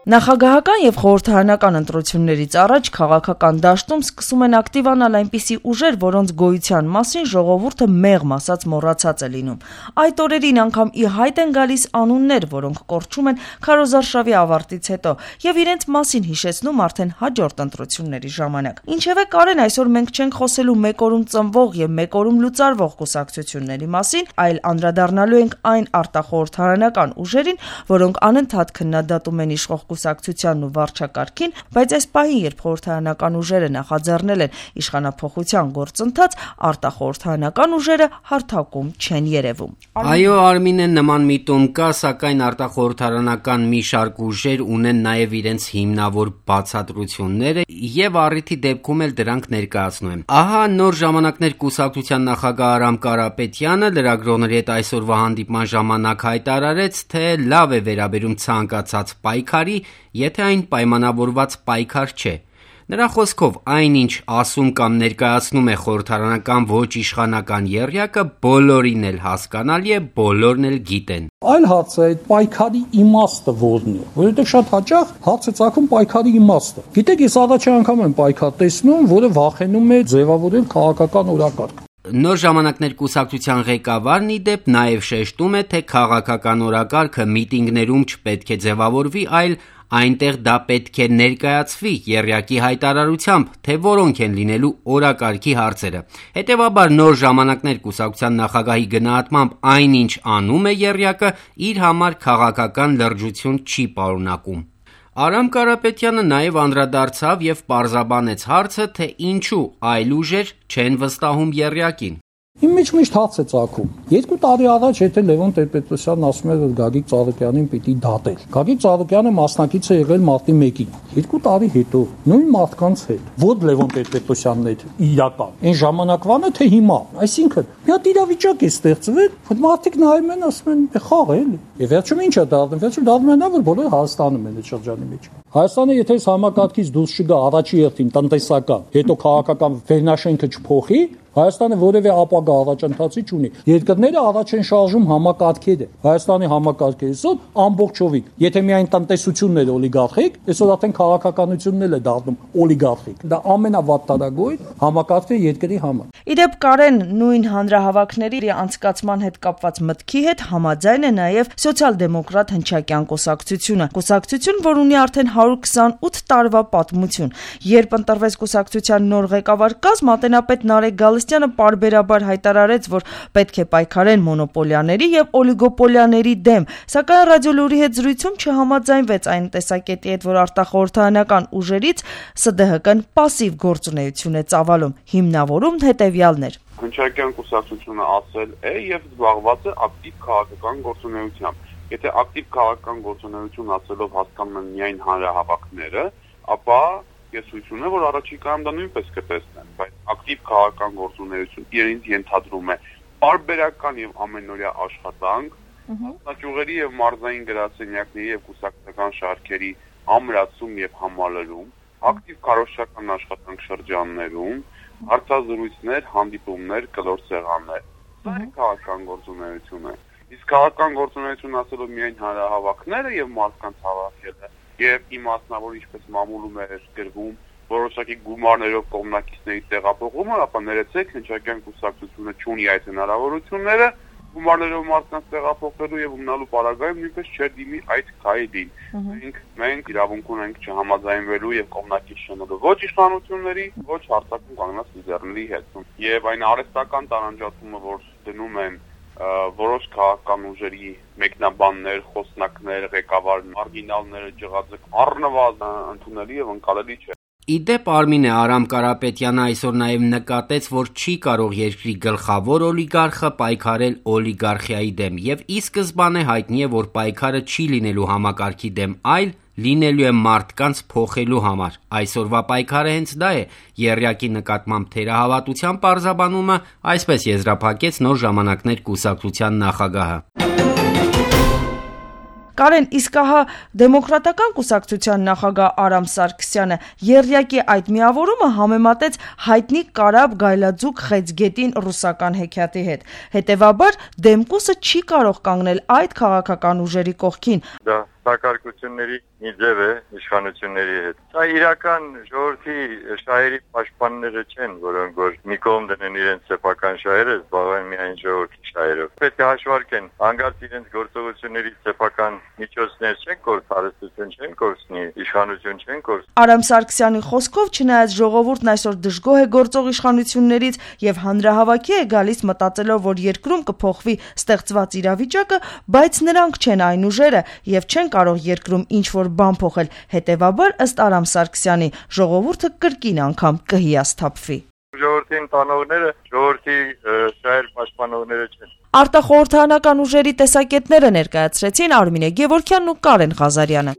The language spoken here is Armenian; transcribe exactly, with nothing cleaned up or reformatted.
Նախագահական եւ խորհրդարանական ընտրություններից առաջ քաղաքական դաշտում սկսում են ակտիվանալ այնպիսի ուժեր, որոնց գոյության մասին ժողովուրդը մեղմ ասած մոռացած է լինում։ Այդ օրերին անգամ ի հայտ են գալիս անուններ, որոնք կորչում են քարոզարշավի ավարտից հետո եւ իրենց մասին հիշեցնում արդեն հաջորդ ընտրությունների ժամանակ։ Ինչևէ, Կարեն, այսօր մենք չենք խոսելու մեկ օրում ծնվող եւ մեկ օրում լուծարվող կուսակցությունների մասին, այլ անդրադառնալու ենք այն արտախորհրդարանական ուժերին, որոնք անընդհատ քննադատում են իշխող կուսակցությանն ու վարչակարգին, բայց այս պահին, երբ խորհրդարանական ուժերը նախաձեռնել են իշխանափոխության գործընթաց, արտախորհրդարանական ուժերը հարթակում չեն երևում։ Այո, Արմինե, նման միտում կա, սակայն արտախորհրդարանական մի շարք ուժեր ունեն նաև իրենց հիմնավոր բացատրությունները եւ առիթի դեպքում էլ դրանք ներկայացնում են։ Ահա նոր ժամանակներ կուսակցության նախագահ Արամ Կարապետյանը լրագրողների հետ այսօրվա հանդիպման ժամանակ հայտարարեց, թե լավ է վերաբերում ցանկացած պայքարի, եթե այն պայմանավորված պայքար չէ։ Նրա խոսքով այնինչ ասում կամ ներկայացնում է խորհրդարանական ոչ իշխանական եռյակը, բոլորին էլ հասկանալի է, բոլորն էլ գիտեն։ Այլ հարց է այդ պայքարի իմաստը որն է, որովհետև շատ հաճախ հարց է ծագում պայքարի իմաստը։ Գիտեք, ես առաջի անգամ եմ պայքար տեսնում, որը վախենում է ձևավորել քաղաքական օրակարգ։ Նոր ժամանակներ կուսակցության ղեկավարն ի դեպ նաև շեշտում է, թե քաղաքական օրակարգը միտինգներում չպետք է ձևավորվի, այլ այնտեղ դա պետք է ներկայացվի եռյակի հայտարարությամբ, թե որոնք են լինելու օրակարգի հարցերը։ Հետևաբար նոր ժամանակներ կուսակցության նախագահի գնահատմամբ այնինչ անում է եռյակը, իր համար քաղաքական լրջություն չի պարունակում։ Արամ Կարապետյանը նաև անդրադարձավ եւ պարզաբանեց հարցը, թե ինչու այլ ուժեր չեն վստահում եռյակին։ Իմ մեջ միշտ հարց է ծագում։ Երկու տարի առաջ եթե Լևոն Տեր-Պետրոսյանն ասում էր, որ Գագիկ Ծառուկյանին պիտի դատել։ Գագիկ Ծառուկյանը մասնակից է եղել մարտի մեկին։ Երկու տարի հետո նույն մարդկանց հետ, որ Լևոն Տեր-Պետրոսյանն էր իրական։ Այն ժամանակվանը թե հիմա։ Այսինքն, մի հատ իրավիճակ է ստեղծվել, որ մարդիկ նայում են, ասում են, խաղ է էլի։ Եվ վերջում ինչ է դառնում, վերջում դառնում է նա, որ բոլորը Հայաստանում են այդ շրջանի մեջ։ Հայաստանը եթե այս համակարգից դուրս չգա առաջի հերթին տնտեսական, հետո քաղաքական վերնաշենքը չփոխի, Հայաստանը որևէ ապագա առաջընթացի չունի։ Երկրները առաջ են շարժում համակարգերը։ Հայաստանի համակարգը այսօր ամբողջովին, եթե միայն տնտեսությունն էր օլիգարխիկ, այսօր արդեն քաղաքականությունն էլ է դառնում օլիգարխիկ։ Դա ամենավատտարագույն համակարգն է երկրի համար։ Իդեպ Կարեն, նույն հանրահավաքների անցկացման հետ կապված մտքի հետ համաձայն է նաև սոցիալ-դեմոկրատ հնչակյան կուսակցությունը։ Կուսակցություն, որ ունի արդեն հարյուր քսանութ տարվա պատմություն։ Երբ ընտրվեց կուսակցության նոր ղեկավար կազմ, ատենապետ Նարեկ Գալստյանը պարբերաբար հայտարարեց, որ պետք է պայքարեն մոնոպոլիաների եւ օլիգոպոլիաների դեմ, սակայն ռադիոլուրի հետ զրույցում չհամաձայնվեց այն տեսակետի հետ, որ արտախորհրդարանական ուժերից ՍԴՀԿ-ն պասիվ գործունեություն է ծավալում, հիմնավորում հետեւյալն էր։ Հնչակյան կուսակցությունը ասել է եւ զբաղված է ակտիվ քաղաքական գործունեությամբ։ Եթե ակտիվ քաղաքական գործունեություն ասելով հասկանում են միայն հանրահավաքները, ապա ես հույս ունեմ, որ առաջիկայում դա նույնպես կտեսնեն, բայց ակտիվ քաղաքական գործունեություն իրենից ենթադրում է պարբերական եւ ամենօրյա աշխատանք, մասնաճյուղերի եւ մարզային գրասենյակների եւ կուսակցական շարքերի ամրացում եւ համալրում, ակտիվ քարոզչական աշխատանք շրջաններում, հարցազրույցներ, հանդիպումներ, կլոր սեղաններ։ Դա քաղաքական գործունեություն է։ Իսկ քաղաքական գործունեություն ասելով միայն հանրահավաքները եւ մարդկանց հավաքելը եւ իմաստնավոր ինչպես մամուլում էր գրվում որոշակի գումարներով կողմնակիցների տեղափոխումը, ապա ներեցեք հնչակյան կուսակցությունը չունի այդ հնարավորությունները գումարներով մարդկանց տեղափոխելու եւ ունենալու պարագայում նույնպես չէր դիմի այդ քայլին։ Մենք մենք իրավունք ունենք չհամաձայնվելու եւ կողմնակից չնելու ոչ իշխանությունների, ոչ հարձակում կանգնած լիդերների հետ։ Եւ այն արհեստական տարանջատումը, որ դնում են որոշ քաղաքական ուժերի մեկնաբաններ, խոսնակներ, ղեկավար մարգինալները ջղաձգ առնվազն ընդունելի եւ ընկալելի չէ։ Իդեպ Արմինե Արամ Կարապետյանը այսօր նաև նկատեց, որ չի կարող երկրի գլխավոր օլիգարխը պայքարել օլիգարխիայի դեմ եւ ի սկզբանե հայտնի է, որ պայքարը չի լինելու համակարգի դեմ, այլ լինելու է մարդկանց փոխելու համար։ Այսօրվա պայքարը հենց դա է։ Եռյակի նկատմամբ թերահավատության պարզաբանումը այսպես եզրափակեց նոր ժամանակներ կուսակցության նախագահը։ Կարեն, իսկ ահա դեմոկրատական կուսակցության նախագահ Արամ Սարգսյանը եռյակի այդ միավորումը համեմատեց հայտնի Կարաբ Գայլաձուկ Խեցգետին ռուսական հեքիաթի հետ։ Հետևաբար Դեմկուսը չի կարող կանգնել այդ քաղաքական ուժերի կողքին։ Դա հակարկությունների մի ձև է իշխանությունների հետ։ Սա իրական ժողովրդի շահերի պաշտպանները չեն, որոնք որ մի կողմ դնեն իրենց սեփական շահերը, զբաղվեն միայն ժողովրդի շահերով։ Պետք է հաշվարկեն, հանկարծ իրենց գործողությունների սեփական միջոցներ չեն կորցնի, հարստություն չեն կորցնի, իշխանություն չեն կորցնի։ Արամ Սարգսյանի խոսքով, չնայած ժողովուրդն այսօր դժգոհ է գործող իշխանություններից եւ հանրահավաքի է գալիս մտածելով, որ երկրում կփոխվի ստեղծված իրավիճակը, բայց նրանք չեն այն ուժերը եւ չեն կարող երկրում ինչ-որ բան փոխել։ Հետեւաբար, ըստ Արամ Սարգսյանի, ժողովուրդը կրկին անգամ կհիասթափվի։ Ժողովրդին տանողները ժողովրդի շահեր պաշտպանողները չեն։ Արտախորհրդարանական ուժերի տեսակետները ներկայացրեցին Արմինե Գևորգյանն ու Կարեն Ղազարյանը։